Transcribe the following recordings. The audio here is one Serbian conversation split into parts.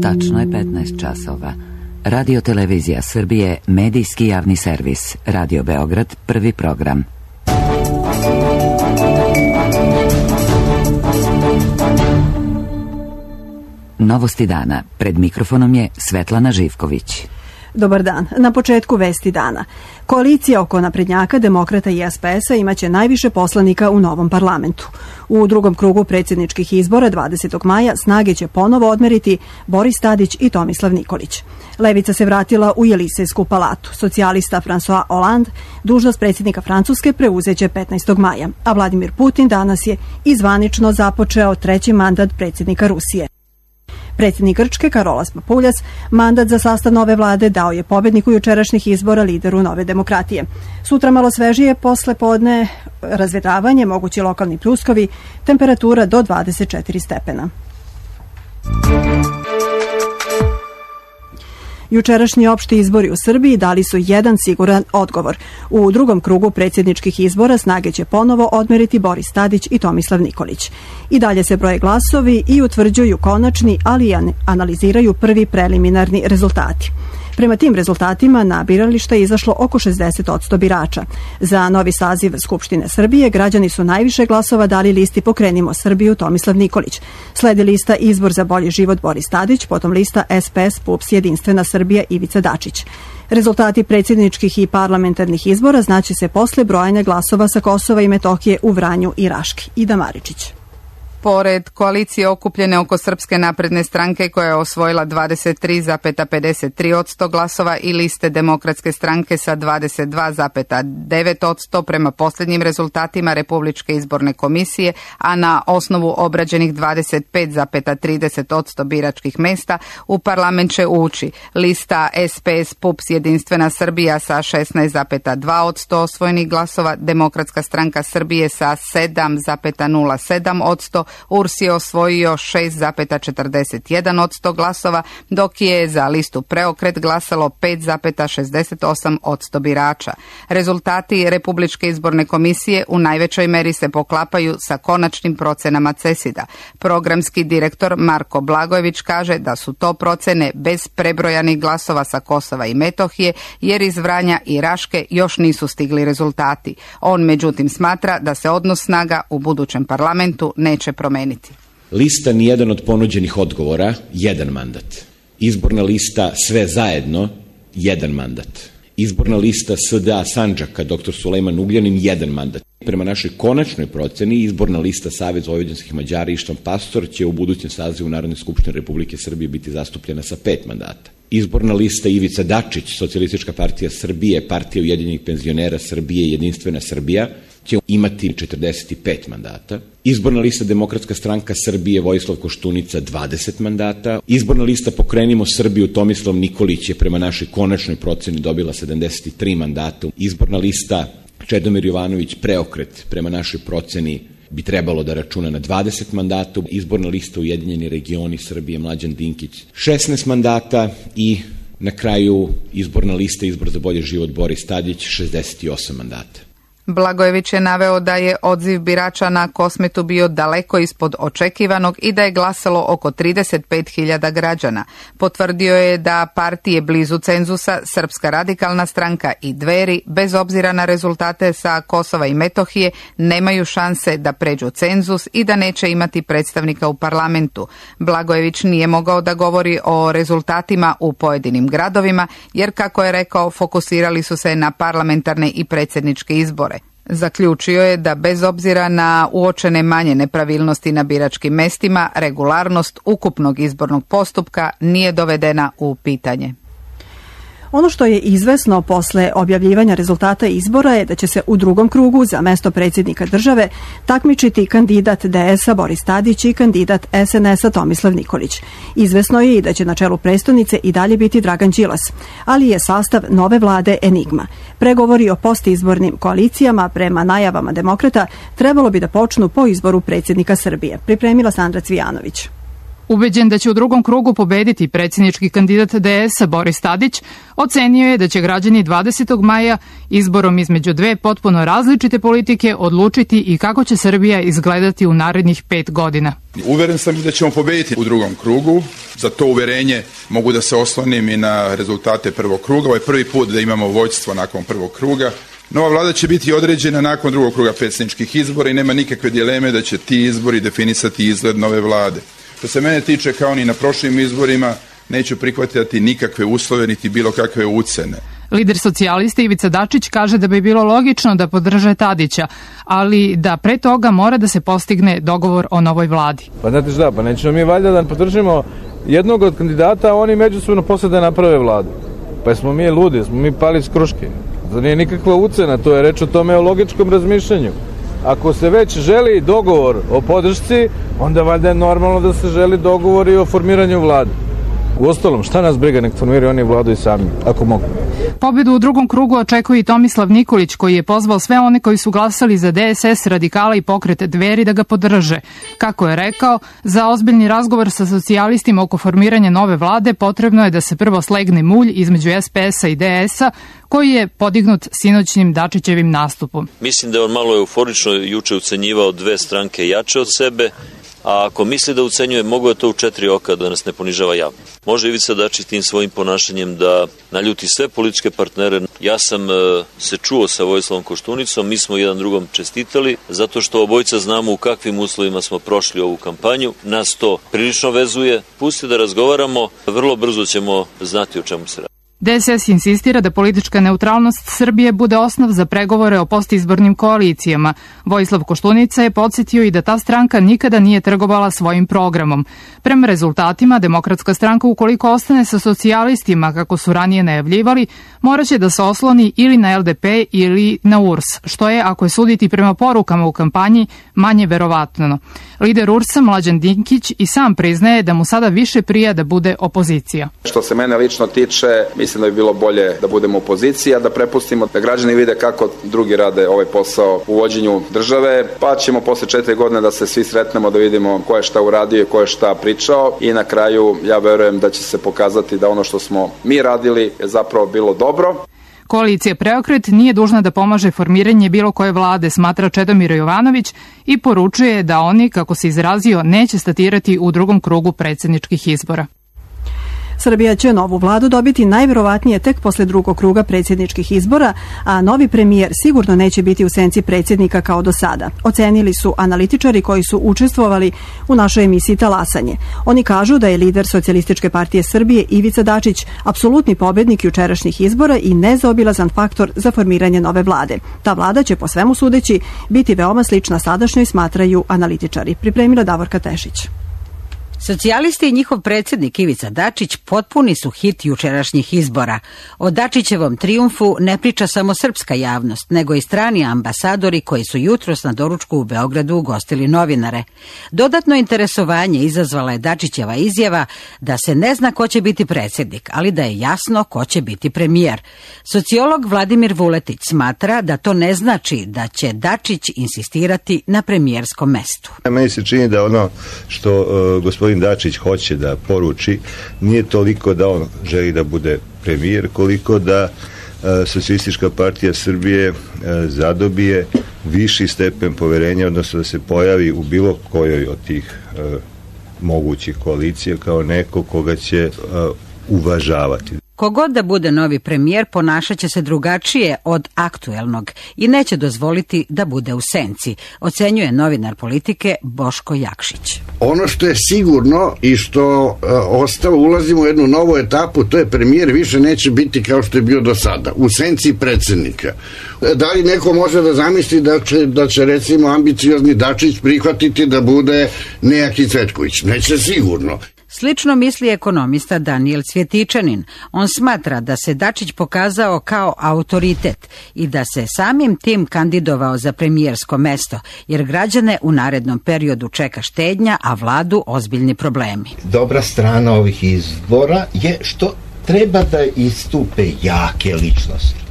Tačno je 15 časova. Radio Televizija Srbije, medijski javni servis. Radio Beograd, prvi program. Novosti dana. Pred mikrofonom je Svetlana Živković. Dobar dan. Na početku vesti dana. Koalicija oko naprednjaka, demokrata i SPS-a imaće najviše poslanika u novom parlamentu. U drugom krugu predsjedničkih izbora 20. maja snage će ponovo odmeriti Boris Tadić i Tomislav Nikolić. Levica se vratila u Jelisejsku palatu. Socijalista François Hollande dužnost predsjednika Francuske preuzeće 15. maja, a Vladimir Putin danas je izvanično započeo treći mandat predsjednika Rusije. Predsjednik Grčke Karolas Papuljas mandat za sastav nove vlade dao je pobjedniku jučerašnjih izbora, lideru Nove demokratije. Sutra malo svežije, posle podne razvedravanje, mogući lokalni pljuskovi, temperatura do 24 stepena. Jučerašnji opšti izbori u Srbiji dali su jedan siguran odgovor. U drugom krugu predsjedničkih izbora snage će ponovo odmeriti Boris Tadić i Tomislav Nikolić. I dalje se broje glasovi i utvrđuju konačni, ali i analiziraju prvi preliminarni rezultati. Prema tim rezultatima na biralište je izašlo oko 60% birača. Za novi saziv Skupštine Srbije građani su najviše glasova dali listi Pokrenimo Srbiju Tomislav Nikolić. Sledi lista Izbor za bolji život Boris Tadić, potom lista SPS PUPS Jedinstvena Srbija Ivica Dačić. Rezultati predsjedničkih i parlamentarnih izbora znaće se posle brojanja glasova sa Kosova i Metohije u Vranju i Raški. Ida Maričić. Pored koalicije okupljene oko Srpske napredne stranke koja je osvojila 23,53% glasova i liste Demokratske stranke sa 22,9% prema posljednjim rezultatima Republičke izborne komisije, a na osnovu obrađenih 25,30% biračkih mesta u parlament će ući lista SPS PUPS Jedinstvena Srbija sa 16,2% osvojenih glasova, Demokratska stranka Srbije sa 7,07%, URS je osvojio 6,41% glasova, dok je za listu Preokret glasalo 5,68% birača. Rezultati Republičke izborne komisije u najvećoj meri se poklapaju sa konačnim procenama CESID-a. Programski direktor Marko Blagojević kaže da su to procene bez prebrojanih glasova sa Kosova i Metohije, jer iz Vranja i Raške još nisu stigli rezultati. On međutim smatra da se odnos snaga u budućem parlamentu neće promeniti. Lista nijedan od ponuđenih odgovora, jedan mandat. Izborna lista sve zajedno, jedan mandat. Izborna lista SDA Sandžaka, dr. Sulejman Ugljanin, jedan mandat. Prema našoj konačnoj proceni, izborna lista Savez vojvođanskih Mađara Ištvan Pastor će u budućem sazivu Narodne skupštine Republike Srbije biti zastupljena sa 5 mandata. Izborna lista Ivica Dačić, Socijalistička partija Srbije, Partija ujedinjenih penzionera Srbije, Jedinstvena Srbija, će imati 45 mandata. Izborna lista Demokratska stranka Srbije Vojislav Koštunica 20 mandata. Izborna lista Pokrenimo Srbiju Tomislav Nikolić je prema našoj konačnoj proceni dobila 73 mandata. Izborna lista Čedomir Jovanović Preokret prema našoj proceni bi trebalo da računa na 20 mandata. Izborna lista Ujedinjeni regioni Srbije Mlađan Dinkić 16 mandata i na kraju izborna lista Izbor za bolji život Boris Tadić 68 mandata. Blagojević je naveo da je odziv birača na Kosmetu bio daleko ispod očekivanog i da je glasalo oko 35.000 građana. Potvrdio je da partije blizu cenzusa, Srpska radikalna stranka i Dveri, bez obzira na rezultate sa Kosova i Metohije, nemaju šanse da pređu cenzus i da neće imati predstavnika u parlamentu. Blagojević nije mogao da govori o rezultatima u pojedinim gradovima, jer, kako je rekao, fokusirali su se na parlamentarne i predsjedničke izbore. Zaključio je da bez obzira na uočene manje nepravilnosti na biračkim mestima, regularnost ukupnog izbornog postupka nije dovedena u pitanje. Ono što je izvesno posle objavljivanja rezultata izbora je da će se u drugom krugu za mesto predsjednika države takmičiti kandidat DS-a Boris Tadić i kandidat SNS-a Tomislav Nikolić. Izvesno je i da će na čelu prestonice i dalje biti Dragan Đilas, ali je sastav nove vlade enigma. Pregovori o postizbornim koalicijama prema najavama demokrata trebalo bi da počnu po izboru predsjednika Srbije, pripremila Sandra Cvijanović. Ubeđen da će u drugom krugu pobediti predsjednički kandidat DS-a Boris Tadić, ocenio je da će građani 20. maja izborom između dve potpuno različite politike odlučiti i kako će Srbija izgledati u narednih 5 godina. Uveren sam da ćemo pobediti u drugom krugu. Za to uverenje mogu da se oslonim i na rezultate prvog kruga. Ovo je prvi put da imamo vođstvo nakon prvog kruga. Nova vlada će biti određena nakon drugog kruga predsjedničkih izbora i nema nikakve dileme da će ti izbori definisati izgled nove vlade. Što se mene tiče, kao ni na prošlim izborima, neću prihvatiti nikakve uslove niti bilo kakve ucene. Lider socijalista Ivica Dačić kaže da bi bilo logično da podrže Tadića, ali da pre toga mora da se postigne dogovor o novoj vladi. Pa znate šta, pa nećemo mi valjda da podržimo jednog od kandidata, a oni međusobno posle da naprave vladu. Pa smo mi ludi, smo mi pali s kruške. To nije nikakva ucena, to je reč o tome o logičkom razmišljanju. Ako se već želi dogovor o podršci, onda valjda je normalno da se želi dogovor i o formiranju vlade. Uostalom, šta nas briga, nek formiraju oni vladu i sami, ako mogu. Pobedu u drugom krugu očekuje i Tomislav Nikolić, koji je pozvao sve one koji su glasali za DSS, Radikala i Pokret Dveri da ga podrže. Kako je rekao, za ozbiljni razgovor sa socijalistima oko formiranja nove vlade potrebno je da se prvo slegne mulj između SPS-a i DS-a, koji je podignut sinoćnim Dačićevim nastupom. Mislim da je on malo euforično juče ucenjivao dve stranke jače od sebe, a ako misli da ucenjuje, mogu je to u 4 oka da nas ne ponižava javno. Može Ivica Dačić tim svojim ponašanjem da naljuti sve političke partnere. Ja sam se čuo sa Vojislavom Koštunicom, mi smo jedan drugom čestitali, zato što obojica znamo u kakvim uslovima smo prošli ovu kampanju. Nas to prilično vezuje. Pusti da razgovaramo, vrlo brzo ćemo znati o čemu se radi. DSS insistira da politička neutralnost Srbije bude osnov za pregovore o postizbornim koalicijama. Vojislav Koštunica je podsjetio i da ta stranka nikada nije trgovala svojim programom. Prema rezultatima, Demokratska stranka, ukoliko ostane sa socijalistima, kako su ranije najavljivali, moraće da se osloni ili na LDP ili na URS, što je, ako je suditi prema porukama u kampanji, manje verovatno. Lider URS-a, Mlađan Dinkić, i sam priznaje da mu sada više prija da bude opozicija. Što se mene lično tiče, mislim da bi bilo bolje da budemo opozicija, da prepustimo da građani vide kako drugi rade ovaj posao u vođenju države, pa ćemo posle 4 godine da se svi sretnemo, da vidimo ko je šta uradio i ko je šta pričao i na kraju ja verujem da će se pokazati da ono što smo mi radili je zapravo bilo dobro. Koalicija Preokret nije dužna da pomaže formiranje bilo koje vlade, smatra Čedomir Jovanović, i poručuje da oni, kako se izrazio, neće statirati u drugom krugu predsjedničkih izbora. Srbija će novu vladu dobiti najverovatnije tek posle drugog kruga predsjedničkih izbora, a novi premijer sigurno neće biti u senci predsjednika kao do sada. Ocenili su analitičari koji su učestvovali u našoj emisiji Talasanje. Oni kažu da je lider Socijalističke partije Srbije Ivica Dačić apsolutni pobednik jučerašnjih izbora i nezaobilazan faktor za formiranje nove vlade. Ta vlada će, po svemu sudeći, biti veoma slična sadašnjoj, smatraju analitičari. Pripremila Davorka Tešić. Socijalisti i njihov predsjednik Ivica Dačić potpuni su hit jučerašnjih izbora. O Dačićevom trijumfu ne priča samo srpska javnost, nego i strani ambasadori koji su jutros na doručku u Beogradu ugostili novinare. Dodatno interesovanje izazvala je Dačićeva izjava da se ne zna ko će biti predsjednik, ali da je jasno ko će biti premijer. Sociolog Vladimir Vuletić smatra da to ne znači da će Dačić insistirati na premijerskom mestu. Meni se čini da ono što gospodin Dačić hoće da poruči nije toliko da on želi da bude premijer, koliko da Socijalistička partija Srbije zadobije viši stepen poverenja, odnosno da se pojavi u bilo kojoj od tih mogućih koalicija kao neko koga će uvažavati. Kogod da bude novi premijer ponašat će se drugačije od aktuelnog i neće dozvoliti da bude u senci, ocenjuje novinar Politike Boško Jakšić. Ono što je sigurno i što ostalo, ulazimo u jednu novu etapu, to je premijer više neće biti kao što je bio do sada, u senci predsjednika. Da li neko može da zamisli da će recimo ambiciozni Dačić prihvatiti da bude nejaki Cvetković? Neće sigurno. Slično misli ekonomista Danijel Cvjetičanin. On smatra da se Dačić pokazao kao autoritet i da se samim tim kandidovao za premijersko mesto, jer građane u narednom periodu čeka štednja, a vladu ozbiljni problemi. Dobra strana ovih izbora je što treba da istupe jake ličnosti.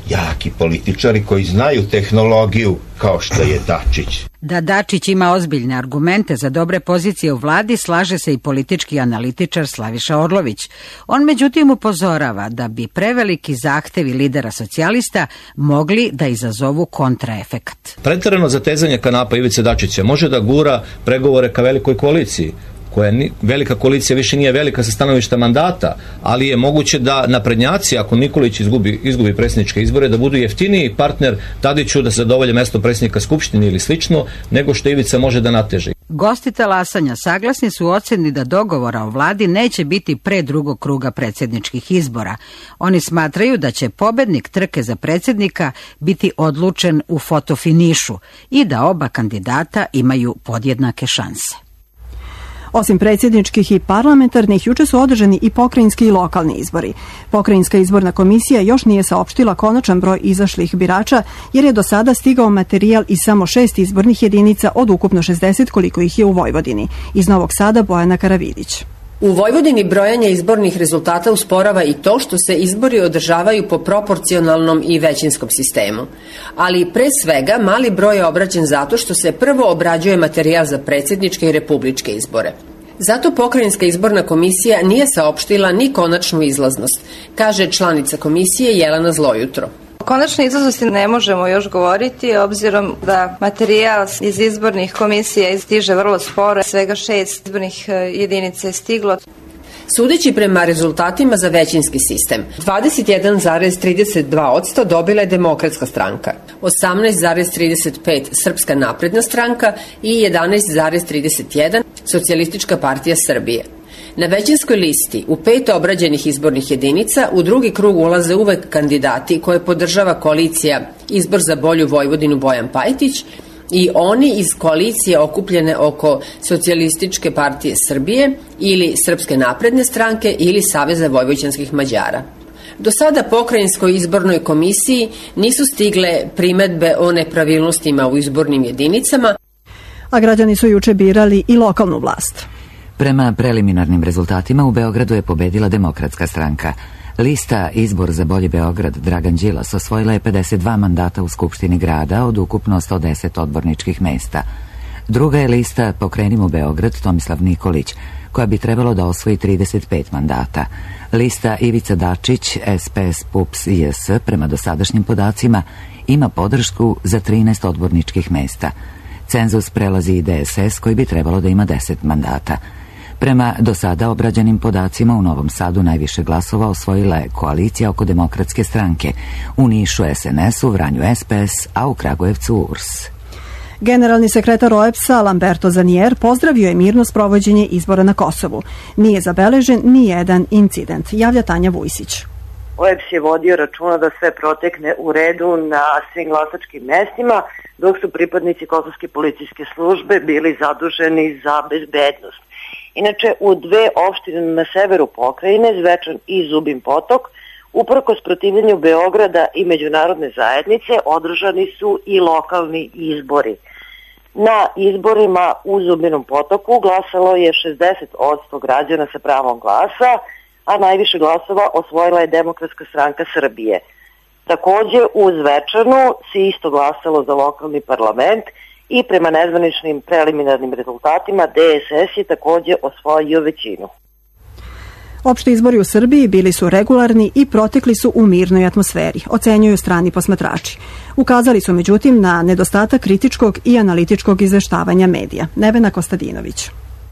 jaki političari koji znaju tehnologiju kao što je Dačić. Da Dačić ima ozbiljne argumente za dobre pozicije u vladi, slaže se i politički analitičar Slaviša Orlović. On međutim upozorava da bi preveliki zahtevi lidera socijalista mogli da izazovu kontraefekat. Preterano zatezanje kanapa Ivice Dačića može da gura pregovore ka velikoj koaliciji, koja velika koalicija više nije velika sa stanovišta mandata, ali je moguće da naprednjaci, ako Nikolić izgubi predsjedničke izbore, da budu jeftiniji partner Tadiću da se zadovolje mesto predsjednika Skupštine ili slično, nego što Ivica može da nateže. Gosti talasanja saglasni su u oceni da dogovora o vladi neće biti pre drugog kruga predsjedničkih izbora. Oni smatraju da će pobednik trke za predsjednika biti odlučen u fotofinišu i da oba kandidata imaju podjednake šanse. Osim predsjedničkih i parlamentarnih, juče su održani i pokrajinski i lokalni izbori. Pokrajinska izborna komisija još nije saopštila konačan broj izašlih birača, jer je do sada stigao materijal iz samo 6 izbornih jedinica od ukupno 60 koliko ih je u Vojvodini. Iz Novog Sada Bojana Karavidić. U Vojvodini brojanje izbornih rezultata usporava i to što se izbori održavaju po proporcionalnom i većinskom sistemu. Ali pre svega mali broj je obrađen zato što se prvo obrađuje materijal za predsjedničke i republičke izbore. Zato pokrajinska izborna komisija nije saopštila ni konačnu izlaznost, kaže članica komisije Jelena Zlojutro. O konačnoj izlaznosti ne možemo još govoriti, obzirom da materijal iz izbornih komisija stiže vrlo sporo, svega 6 izbornih jedinica je stiglo. Sudeći prema rezultatima za većinski sistem, 21,32% dobila je Demokratska stranka, 18,35% Srpska napredna stranka i 11,31% Socijalistička partija Srbije. Na većinskoj listi u 5 obrađenih izbornih jedinica u drugi krug ulaze uvek kandidati koje podržava koalicija Izbor za bolju Vojvodinu Bojan Pajtić i oni iz koalicije okupljene oko Socijalističke partije Srbije ili Srpske napredne stranke ili Saveza vojvođanskih Mađara. Do sada pokrajinskoj izbornoj komisiji nisu stigle primedbe o nepravilnostima u izbornim jedinicama, a građani su juče birali i lokalnu vlast. Prema preliminarnim rezultatima u Beogradu je pobedila Demokratska stranka. Lista Izbor za bolji Beograd Dragan Đilas osvojila je 52 mandata u Skupštini grada od ukupno 110 odborničkih mesta. Druga je lista Pokrenimo Beograd Tomislav Nikolić, koja bi trebalo da osvoji 35 mandata. Lista Ivica Dačić, SPS, PUPS i JS, prema dosadašnjim podacima, ima podršku za 13 odborničkih mesta. Cenzus prelazi i DSS, koji bi trebalo da ima 10 mandata. Prema do sada obrađenim podacima u Novom Sadu najviše glasova osvojila je koalicija oko Demokratske stranke, u Nišu SNS, u Vranju SPS, a u Kragujevcu URS. Generalni sekretar OEBS-a Lamberto Zanier pozdravio je mirno sprovođenje izbora na Kosovu. Nije zabeležen ni jedan incident, javlja Tanja Vujsić. OEBS je vodio računa da sve protekne u redu na svim glasačkim mestima, dok su pripadnici kosovske policijske službe bili zaduženi za bezbednost. Inače, u 2 opštine na severu pokrajine, Zvečan i Zubin Potok, uprkos protivljenju Beograda i međunarodne zajednice, održani su i lokalni izbori. Na izborima u Zubinom Potoku glasalo je 60% građana sa pravom glasa, a najviše glasova osvojila je Demokratska stranka Srbije. Takođe, u Zvečanu se isto glasalo za lokalni parlament i prema nezvaničnim preliminarnim rezultatima DSS je takođe osvojio većinu. Opšti izbori u Srbiji bili su regularni i protekli su u mirnoj atmosferi, ocenjuju strani posmatrači. Ukazali su međutim na nedostatak kritičkog i analitičkog izveštavanja medija. Nevena Kostadinović.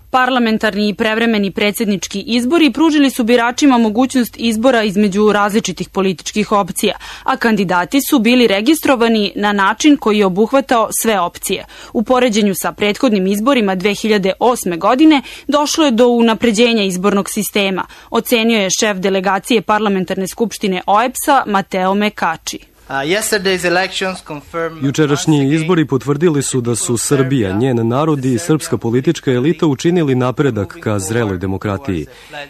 Parlamentarni i prevremeni predsjednički izbori pružili su biračima mogućnost izbora između različitih političkih opcija, a kandidati su bili registrovani na način koji je obuhvatao sve opcije. U poređenju sa prethodnim izborima 2008. godine došlo je do unapređenja izbornog sistema, ocenio je šef delegacije Parlamentarne skupštine OEBS-a Mateo Mekači. Jučerašnji izbori potvrdili su da su Srbija, njen narod i srpska politička elita učinili napredak ka zreloj demokratiji.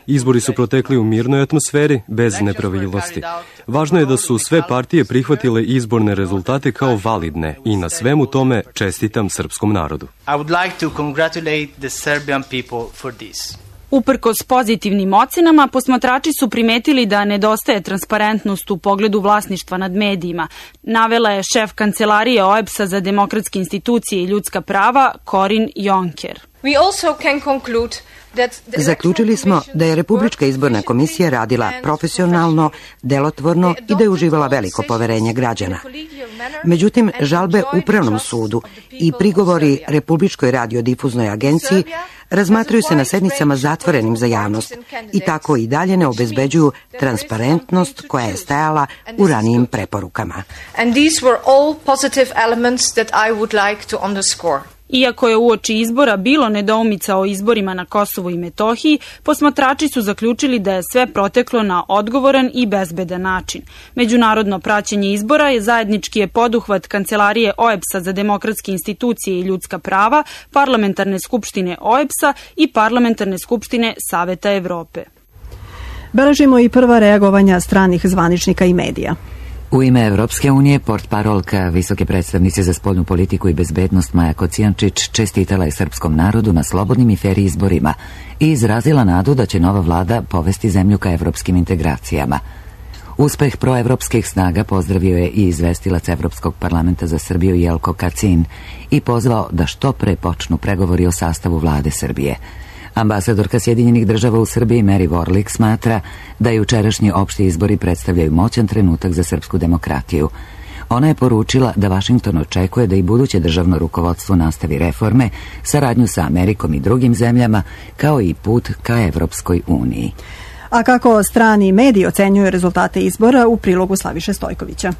Izbori su protekli u mirnoj atmosferi, bez nepravilnosti. Važno je da su sve partije prihvatile izborne rezultate kao validne i na svemu tome čestitam srpskom narodu. Uprkos pozitivnim ocenama, posmatrači su primetili da nedostaje transparentnost u pogledu vlasništva nad medijima, navela je šef kancelarije OEBS-a za demokratske institucije i ljudska prava Corinne Jonker. Zaključili smo da je Republička izborna komisija radila profesionalno, delotvorno i da je uživala veliko poverenje građana. Međutim, žalbe Upravnom sudu i prigovori Republičkoj radiodifuznoj agenciji razmatraju se na sednicama zatvorenim za javnost i tako i dalje ne obezbeđuju transparentnost koja je stajala u ranijim preporukama. Iako je uoči izbora bilo nedoumica o izborima na Kosovu i Metohiji, posmatrači su zaključili da je sve proteklo na odgovoran i bezbedan način. Međunarodno praćenje izbora je zajednički poduhvat Kancelarije OEBS-a za demokratske institucije i ljudska prava, Parlamentarne skupštine OEBS-a i Parlamentarne skupštine Saveta Evrope. Beležimo i prva reagovanja stranih zvaničnika i medija. U ime Evropske unije, portparolka visoke predstavnice za spoljnu politiku i bezbednost Maja Kocijančić čestitala je srpskom narodu na slobodnim i fer izborima i izrazila nadu da će nova vlada povesti zemlju ka evropskim integracijama. Uspeh proevropskih snaga pozdravio je i izvestilac Evropskog parlamenta za Srbiju Jelko Kacin i pozvao da što pre počnu pregovori o sastavu vlade Srbije. Ambasadorka Sjedinjenih država u Srbiji Mary Warlick smatra da jučerašnji opšti izbori predstavljaju moćan trenutak za srpsku demokratiju. Ona je poručila da Vašington očekuje da i buduće državno rukovodstvo nastavi reforme, saradnju sa Amerikom i drugim zemljama, kao i put ka Evropskoj uniji. A kako strani mediji ocenjuju rezultate izbora, u prilogu Slaviše Stojkovića.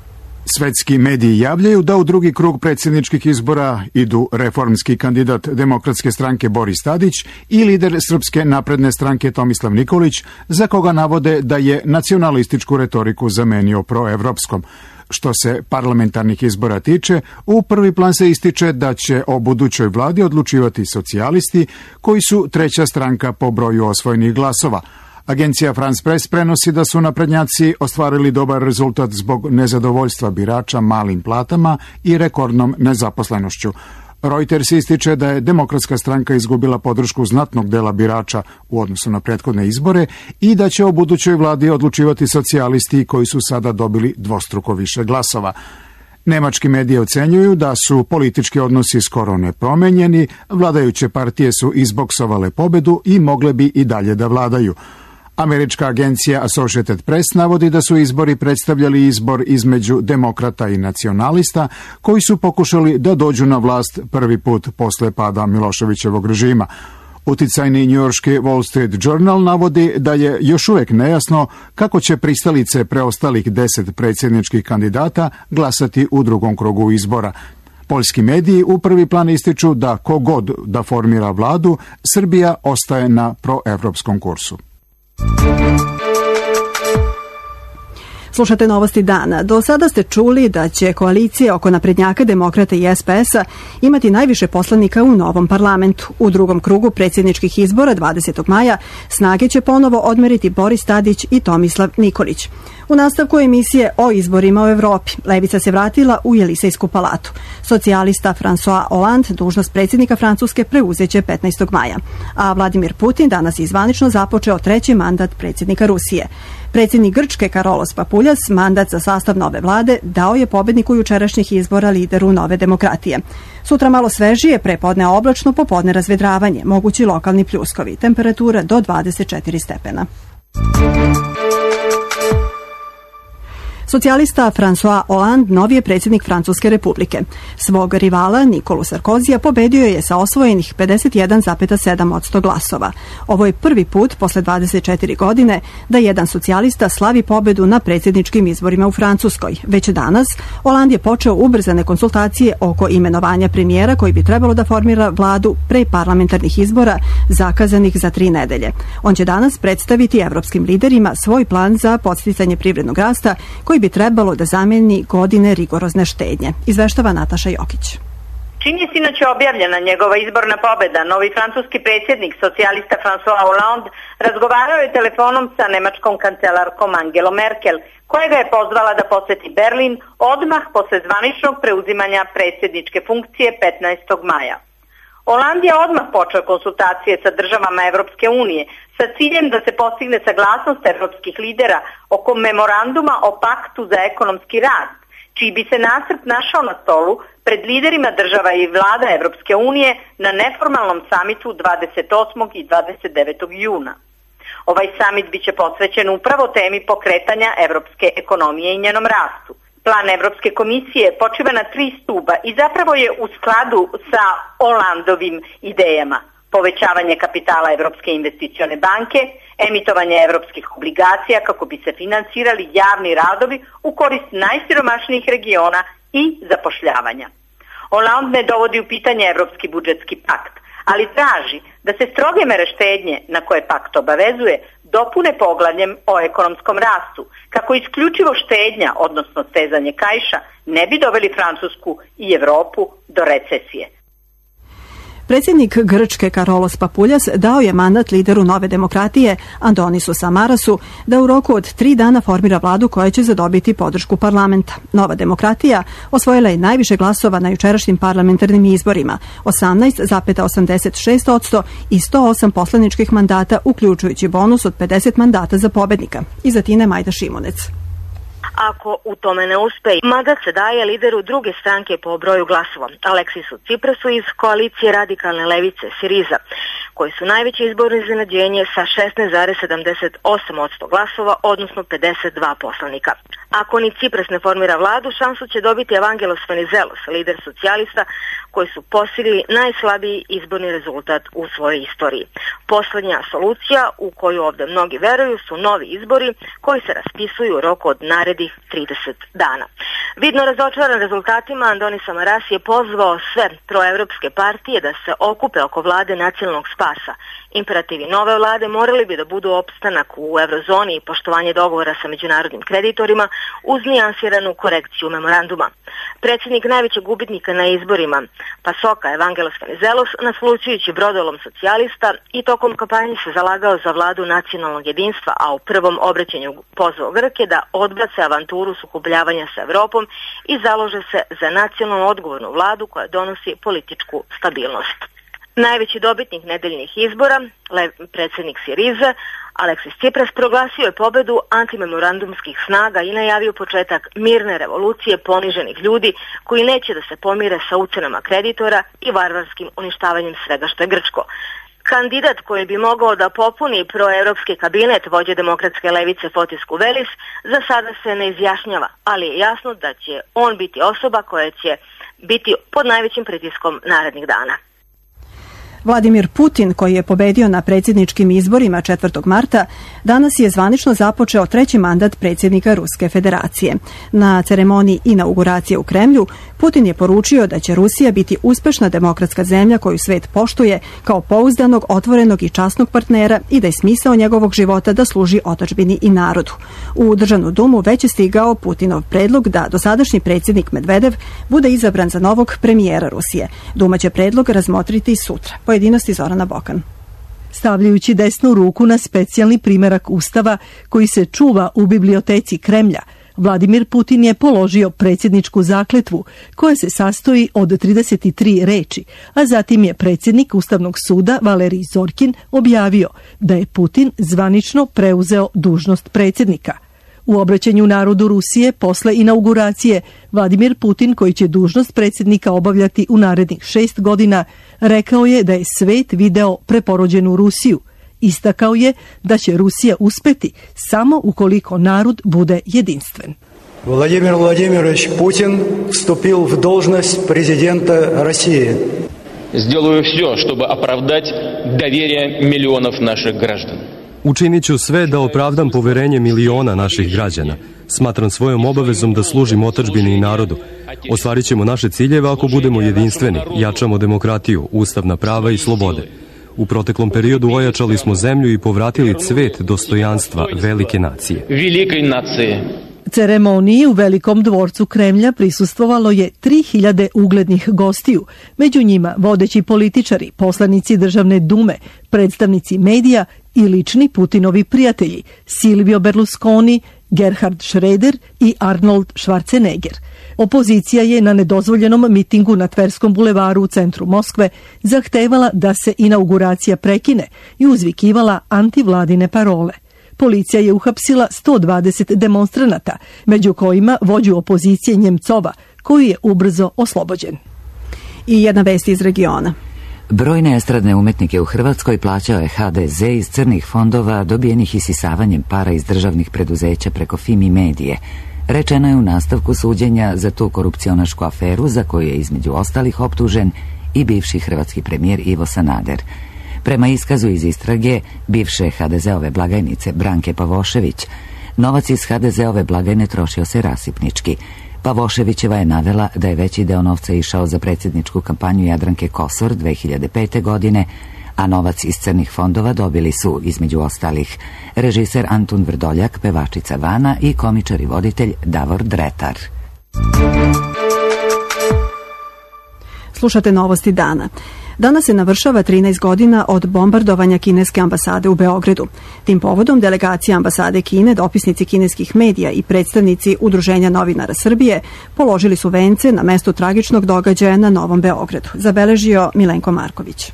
Svetski mediji javljaju da u drugi krug predsjedničkih izbora idu reformski kandidat Demokratske stranke Boris Tadić i lider Srpske napredne stranke Tomislav Nikolić, za koga navode da je nacionalističku retoriku zamenio proevropskom. Što se parlamentarnih izbora tiče, u prvi plan se ističe da će o budućoj vladi odlučivati socijalisti, koji su treća stranka po broju osvojenih glasova. Agencija France Press prenosi da su naprednjaci ostvarili dobar rezultat zbog nezadovoljstva birača malim platama i rekordnom nezaposlenošću. Reuters ističe da je Demokratska stranka izgubila podršku znatnog dela birača u odnosu na prethodne izbore i da će o budućoj vladi odlučivati socijalisti koji su sada dobili dvostruko više glasova. Nemački mediji ocenjuju da su politički odnosi skoro nepromenjeni, vladajuće partije su izboksovale pobedu i mogle bi i dalje da vladaju. Američka agencija Associated Press navodi da su izbori predstavljali izbor između demokrata i nacionalista koji su pokušali da dođu na vlast prvi put posle pada Miloševićevog režima. Uticajni njujorški Wall Street Journal navodi da je još uvek nejasno kako će pristalice preostalih 10 predsjedničkih kandidata glasati u drugom krugu izbora. Poljski mediji u prvi plan ističu da kogod da formira vladu, Srbija ostaje na proevropskom kursu. Slušate novosti dana. Do sada ste čuli da će koalicija oko naprednjaka, demokrata i SPS-a imati najviše poslanika u novom parlamentu. U drugom krugu predsjedničkih izbora 20. maja snage će ponovo odmeriti Boris Tadić i Tomislav Nikolić. U nastavku emisije o izborima u Evropi, levica se vratila u Jelisejsku palatu. Socijalista François Hollande dužnost predsjednika Francuske preuzeće 15. maja. A Vladimir Putin danas je zvanično započeo treći mandat predsjednika Rusije. Predsjednik Grčke Karolos Papuljas mandat za sastav nove vlade dao je pobedniku jučerašnjih izbora, lideru Nove demokratije. Sutra malo svežije, prepodne oblačno, popodne razvedravanje, mogući lokalni pljuskovi, temperatura do 24 stepena. Socijalista François Hollande novi je predsjednik Francuske republike. Svog rivala Nikolu Sarkozija pobedio je sa osvojenih 51,7% glasova. Ovo je prvi put posle 24 godine da jedan socijalista slavi pobedu na predsjedničkim izborima u Francuskoj. Već danas Hollande je počeo ubrzane konsultacije oko imenovanja premijera koji bi trebalo da formira vladu pre parlamentarnih izbora zakazanih za 3 nedelje. On će danas predstaviti evropskim liderima svoj plan za podsticanje privrednog rasta koji bi trebalo da zameni godine rigorozne štednje. Izveštava Nataša Jokić. Čim je sinoć objavljena njegova izborna pobeda, novi francuski predsjednik, socijalista François Hollande, razgovarao je telefonom sa nemačkom kancelarkom Angelom Merkel, koja ga je pozvala da poseti Berlin odmah posle zvaničnog preuzimanja predsjedničke funkcije 15. maja. Holand je odmah počeo konsultacije sa državama Evropske unije sa ciljem da se postigne saglasnost evropskih lidera oko memoranduma o paktu za ekonomski rast, čiji bi se nacrt našao na stolu pred liderima država i vlada Evropske unije na neformalnom samitu 28. i 29. juna. Ovaj samit biće posvećen upravo temi pokretanja evropske ekonomije i njenom rastu. Plan Evropske komisije počiva na 3 stuba i zapravo je u skladu sa Holandovim idejama. Povećavanje kapitala Evropske investicione banke, emitovanje evropskih obligacija kako bi se finansirali javni radovi u korist najsiromašnijih regiona i zapošljavanja. Holand ne dovodi u pitanje Evropski budžetski pakt, ali traži da se stroge mere štednje na koje pakt obavezuje dopune poglavljem o ekonomskom rastu, kako isključivo štednja, odnosno stezanje kaiša, ne bi doveli Francusku i Evropu do recesije. Predsjednik Grčke Karolos Papuljas dao je mandat lideru Nove demokratije Andonisu Samarasu da u roku od 3 dana formira vladu koja će zadobiti podršku parlamenta. Nova demokratija osvojila je najviše glasova na jučerašnjim parlamentarnim izborima, 18,86% i 108 poslaničkih mandata, uključujući bonus od 50 mandata za pobednika. Iza Tine Majda Šimunec. Ako u tome ne uspe, mandat se daje lideru druge stranke po broju glasova, Aleksisu Ciprasu iz koalicije radikalne levice Siriza, koji su najveće izborno iznenađenje sa 16,78% glasova, odnosno 52 poslanika. Ako ni Cipras ne formira vladu, šansu će dobiti Evangelos Venizelos, lider socijalista, koji su postigli najslabiji izborni rezultat u svojoj istoriji. Poslednja solucija, u koju ovde mnogi veruju, su novi izbori koji se raspisuju u roku od narednih 30 dana. Vidno razočaran rezultatima, Andonis Samaras je pozvao sve proevropske partije da se okupe oko vlade nacionalnog spasa. Imperativi nove vlade morali bi da budu opstanak u eurozoni i poštovanje dogovora sa međunarodnim kreditorima uz nijansiranu korekciju memoranduma. Predsjednik najvećeg gubitnika na izborima, Pasoka Evangelos Venizelos, naslučujući brodolom socijalista i tokom kampanje se zalagao za vladu nacionalnog jedinstva, a u prvom obraćanju pozvao Grke da odbace avanturu sukobljavanja sa Evropom i založe se za nacionalno odgovornu vladu koja donosi političku stabilnost. Najveći dobitnik nedeljnih izbora, predsjednik Sirize, Aleksis Cipras, proglasio je pobedu antimemorandumskih snaga i najavio početak mirne revolucije poniženih ljudi koji neće da se pomire sa ucenama kreditora i varvarskim uništavanjem svega što je grčko. Kandidat koji bi mogao da popuni proevropski kabinet vođe demokratske levice Fotis Kuvelis za sada se ne izjašnjava, ali je jasno da će on biti osoba koja će biti pod najvećim pritiskom narednih dana. Vladimir Putin, koji je pobedio na predsjedničkim izborima 4. marta, danas je zvanično započeo 3. mandat predsjednika Ruske federacije. Na ceremoniji inauguracije u Kremlju, Putin je poručio da će Rusija biti uspešna demokratska zemlja koju svet poštuje kao pouzdanog, otvorenog i časnog partnera i da je smisao njegovog života da služi otadžbini i narodu. U Državnu dumu već je stigao Putinov predlog da dosadašnji predsjednik Medvedev bude izabran za novog premijera Rusije. Duma će predlog razmotriti sutra. Pojedinosti Zorana Bokan. Stavljajući desnu ruku na specijalni primerak Ustava koji se čuva u biblioteci Kremlja, Vladimir Putin je položio predsjedničku zakletvu koja se sastoji od 33 reči, a zatim je predsjednik Ustavnog suda Valerij Zorkin objavio da je Putin zvanično preuzeo dužnost predsjednika. U obraćanju narodu Rusije posle inauguracije, Vladimir Putin, koji će dužnost predsjednika obavljati u narednih 6 godina, rekao je da je svet video preporođenu Rusiju. Istakao je da će Rusija uspeti samo ukoliko narod bude jedinstven. Vladimir Vladimirovич Putin vstupil v dužnost prezidenta Rusije. Сделаю все, чтобы оправдать доверие миллионов наших граждан. Učinit ću sve da opravdam poverenje miliona naših građana. Smatram svojom obavezom da služim otadžbini i narodu. Ostvarit ćemo naše ciljeve ako budemo jedinstveni, jačamo demokratiju, ustavna prava i slobode. U proteklom periodu ojačali smo zemlju i povratili cvet dostojanstva velike nacije. Великой нации. Ceremoniji u Velikom dvorcu Kremlja prisustvovalo je 3000 uglednih gostiju, među njima vodeći političari, poslanici Državne dume, predstavnici medija i lični Putinovi prijatelji Silvio Berlusconi Gerhard Schröder i Arnold Schwarzenegger. Opozicija je na nedozvoljenom mitingu na Tverskom bulevaru u centru Moskve zahtevala da se inauguracija prekine i uzvikivala antivladine parole. Policija je uhapsila 120 demonstranata, među kojima vođu opozicije Njemcova, koji je ubrzo oslobođen. I jedna vest iz regiona. Brojne estradne umetnike u Hrvatskoj plaćao je HDZ iz crnih fondova dobijenih isisavanjem para iz državnih preduzeća preko Fimi Medije. Rečeno je u nastavku suđenja za tu korupcionašku aferu za koju je između ostalih optužen i bivši hrvatski premijer Ivo Sanader. Prema iskazu iz istrage bivše HDZ-ove blagajnice Branke Pavošević, novac iz HDZ-ove blagajne trošio se rasipnički. Pavoševićeva je navela da je veći deo novca išao za predsjedničku kampanju Jadranke Kosor 2005. godine, a novac iz crnih fondova dobili su, između ostalih, režiser Antun Vrdoljak, pevačica Vana i komičar i voditelj Davor Dretar. Slušate novosti dana. Danas se navršava 13 godina od bombardovanja kineske ambasade u Beogradu. Tim povodom delegacija ambasade Kine, dopisnici kineskih medija i predstavnici Udruženja novinara Srbije položili su vence na mestu tragičnog događaja na Novom Beogradu. Zabeležio Milenko Marković.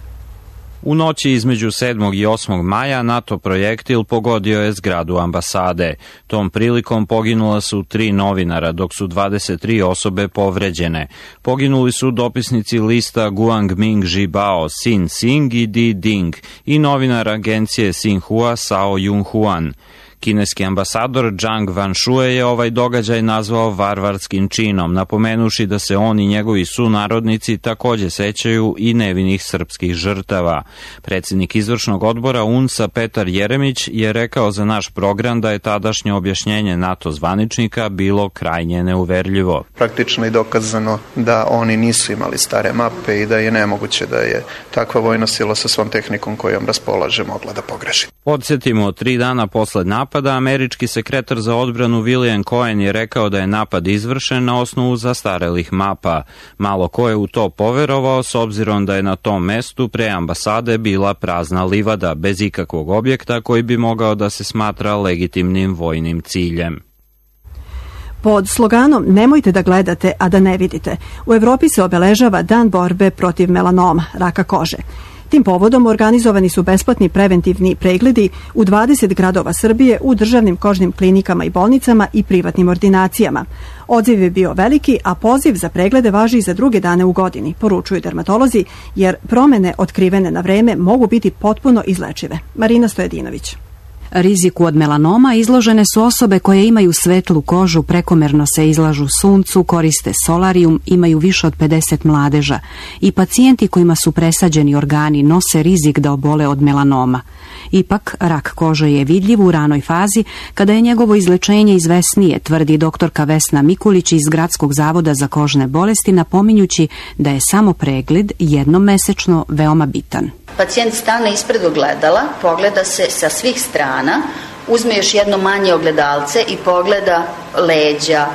U noći između 7. i 8. maja NATO projektil pogodio je zgradu ambasade. Tom prilikom poginula su 3 novinara, dok su 23 osobe povređene. Poginuli su dopisnici lista Guangming Zhibao Xin Xing i Di Ding i novinar agencije Xinhua Sao Yunhuan. Kineski ambasador Zhang Wanshue je ovaj događaj nazvao varvarskim činom, napomenuši da se on i njegovi sunarodnici takođe sećaju i nevinih srpskih žrtava. Predsjednik izvršnog odbora UNS-a Petar Jeremić je rekao za naš program da je tadašnje objašnjenje NATO zvaničnika bilo krajnje neuverljivo. Praktično je dokazano da oni nisu imali stare mape i da je nemoguće da je takva vojna sila sa svom tehnikom kojom raspolaže mogla da pogreši. Podsjetimo, 3 dana posle napada, američki sekretar za odbranu William Cohen je rekao da je napad izvršen na osnovu zastarelih mapa. Malo ko je u to poverovao, s obzirom da je na tom mestu pre ambasade bila prazna livada, bez ikakvog objekta koji bi mogao da se smatra legitimnim vojnim ciljem. Pod sloganom "Nemojte da gledate, a da ne vidite", u Evropi se obeležava Dan borbe protiv melanoma, raka kože. Tim povodom organizovani su besplatni preventivni pregledi u 20 gradova Srbije u državnim kožnim klinikama i bolnicama i privatnim ordinacijama. Odziv je bio veliki, a poziv za preglede važi i za druge dane u godini, poručuju dermatolozi, jer promene otkrivene na vreme mogu biti potpuno izlečive. Marina Stojedinović. Riziku od melanoma izložene su osobe koje imaju svetlu kožu, prekomerno se izlažu suncu, koriste solarijum, imaju više od 50 mladeža i pacijenti kojima su presađeni organi nose rizik da obole od melanoma. Ipak, rak kože je vidljiv u ranoj fazi kada je njegovo izlečenje izvesnije, tvrdi doktorka Vesna Mikulić iz Gradskog zavoda za kožne bolesti, napominjući da je samo pregled jednom mesečno veoma bitan. Pacijent stane ispred ogledala, pogleda se sa svih strana, uzme još jedno manje ogledalce i pogleda leđa,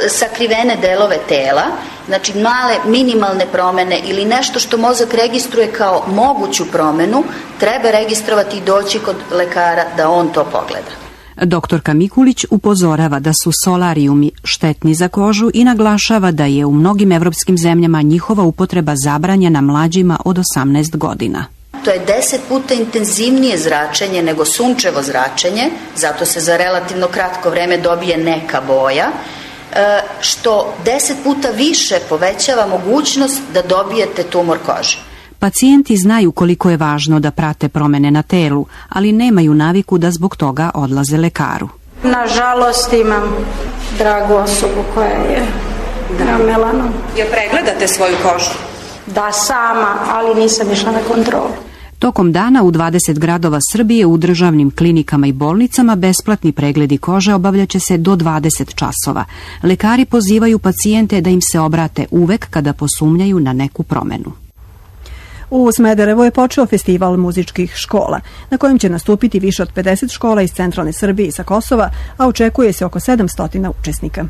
sakrivene delove tela, znači male minimalne promene ili nešto što mozak registruje kao moguću promenu, treba registrovati i doći kod lekara da on to pogleda. Doktorka Mikulić upozorava da su solarijumi štetni za kožu i naglašava da je u mnogim evropskim zemljama njihova upotreba zabranjena mlađima od 18 godina. To je 10 puta intenzivnije zračenje nego sunčevo zračenje, zato se za relativno kratko vreme dobije neka boja, što 10 puta više povećava mogućnost da dobijete tumor kože. Pacijenti znaju koliko je važno da prate promene na telu, ali nemaju naviku da zbog toga odlaze lekaru. Nažalost imam dragu osobu koja je melanom. Jel pregledate svoju kožu? Da, sama, ali nisam išla na kontrolu. Tokom dana u 20 gradova Srbije u državnim klinikama i bolnicama besplatni pregledi kože obavljaće se do 20 časova. Lekari pozivaju pacijente da im se obrate uvek kada posumnjaju na neku promenu. U Smederevu je počeo festival muzičkih škola, na kojem će nastupiti više od 50 škola iz centralne Srbije i sa Kosova, a očekuje se oko 700 učesnika.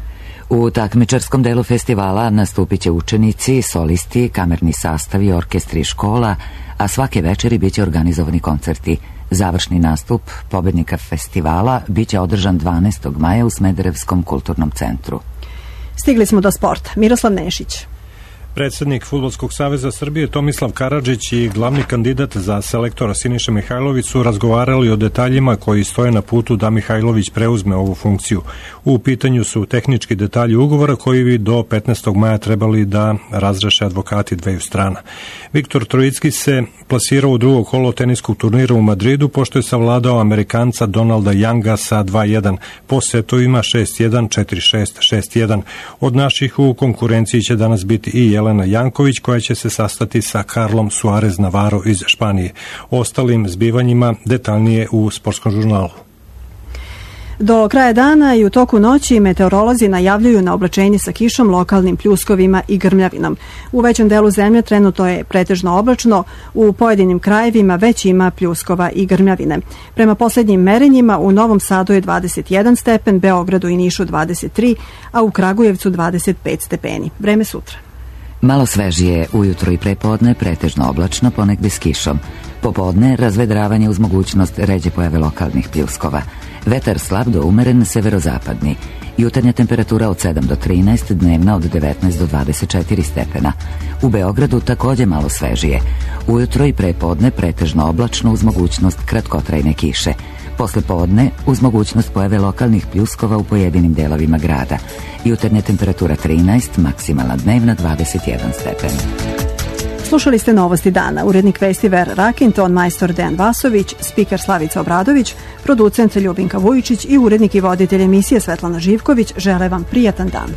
U takmičarskom delu festivala nastupit će učenici, solisti, kamerni sastavi, orkestri škola, a svake večeri biće organizovani koncerti. Završni nastup pobednika festivala biće održan 12. maja u Smederevskom kulturnom centru. Stigli smo do sporta. Miroslav Nešić. Predsednik Fudbalskog saveza Srbije Tomislav Karadžić i glavni kandidat za selektora Siniša Mihajlović su razgovarali o detaljima koji stoje na putu da Mihajlović preuzme ovu funkciju. U pitanju su tehnički detalji ugovora koji bi do 15. maja trebali da razreše advokati dveju strana. Viktor Trojicki se plasirao u drugo kolo teniskog turnira u Madridu pošto je savladao Amerikanca Donalda Younga sa 2-1. Po setovima 6-1, 4-6, 6-1. Od naših u konkurenciji će danas biti i Jelena Janković koja će se sastati sa Carlom Suarez Navarro iz Španije. O ostalim zbivanjima detaljnije u Sportskom žurnalu. Do kraja dana i u toku noći meteorolozi najavljuju na oblačenje sa kišom, lokalnim pljuskovima i grmljavinom. U većem delu zemlje trenutno je pretežno oblačno, u pojedinim krajevima već ima pljuskova i grmljavine. Prema posljednjim merenjima u Novom Sadu je 21 stepen, Beogradu i Nišu 23, a u Kragujevcu 25 stepeni. Vreme sutra. Malo svežije, ujutro i prepodne pretežno oblačno, ponegde s kišom. Popodne razvedravanje uz mogućnost ređe pojave lokalnih pljuskova. Vetar slab do umeren severozapadni. Jutarnja temperatura od 7 do 13, dnevna od 19 do 24 stepena. U Beogradu takođe malo svežije. Ujutro i prepodne pretežno oblačno uz mogućnost kratkotrajne kiše. Posle podne uz mogućnost pojave lokalnih pljuskova u pojedinim delovima grada. Jutarnja temperatura 13, maksimalna dnevna 21 stepen. Slušali ste Novosti dana. Urednik vesti Vera Rakin, ton majstor Dejan Vasović, spiker Slavica Obradović, producent Ljubinka Vujičić i urednik i voditelj emisije Svetlana Živković žele vam prijatan dan.